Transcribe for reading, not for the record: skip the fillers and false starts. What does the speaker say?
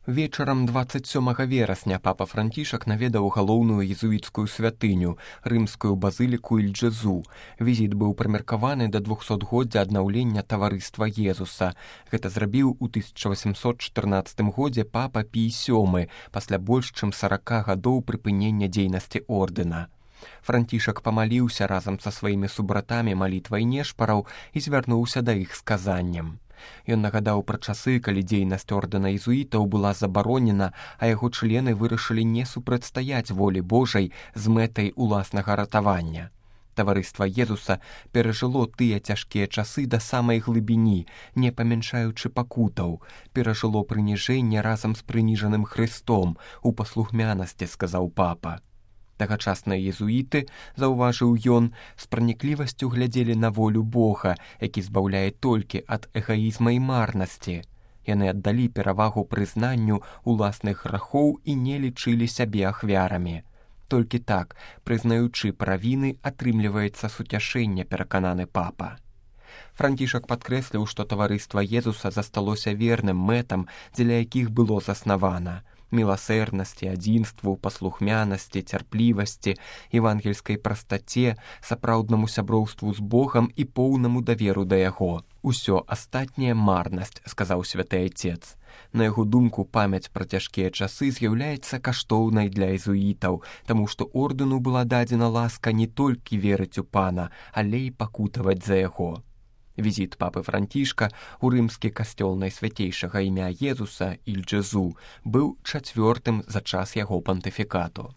Вечарам 27 верасня папа Францішак наведаў галоўную езуіцкую святыню, рымскую базыліку Іль-Джезу. Візіт быў прымеркаваны да 200годдзя аднаўлення таварыства Езуса. Гэта зрабіў у 1814 годзе папа Пій VII, пасля больш чым 40 гадоў прыпынення дзейнасці ордэна. Францішак памаліўся разам са сваімі субратамі малітвай нешпараў і звярнуўся да іх з казаннем. Ён нагадаў пра часы, калі дзейнасць ордэна езуітаў была забаронена, а яго члены вырашылі не супрацьстаяць волі Божай з мэтай уласнага ратавання. Таварыства Езуса перажыло тыя цяжкія часы да самай глыбіні, не памяншаючы пакутаў, перажыло прыніжэнне разам з прыніжаным Хрыстом, у паслухмянасці, сказаў папа. Тагачасныя езуіты, заўважыў ён, з праніклівасцю глядзелі на волю Бога, які збаўляе толькі ад эгаізма і марнасці. Яны аддалі перавагу прызнанню уласных грахоў і не лічылі сябе ахвярамі. Толькі так, прызнаючы правіны, атрымліваецца суцяшэнне, перакананы папа. Францішак падкрэсліў, што таварыства Езуса засталося верным мэтам, дзеля якіх было заснавана. Міласэрнасці, адзінству, паслухмянасці, цярплівасці, евангельскай прастаце, сапраўднаму сяброўству з Богам і поўнаму даверу да яго. Усё астатняе марнасць, сказаў святы айцец. На яго думку, памяць пра цяжкія часы з'яўляецца каштоўнай для езуітаў, таму што ордэну была дадзена ласка не толькі верыць у пана, але і пакутаваць за яго. Візіт папы Францішка ў рымскі касцёл найсвяцейшага імя Езуса, Іль-Джезу, быў 4-м за час яго пантыфікату.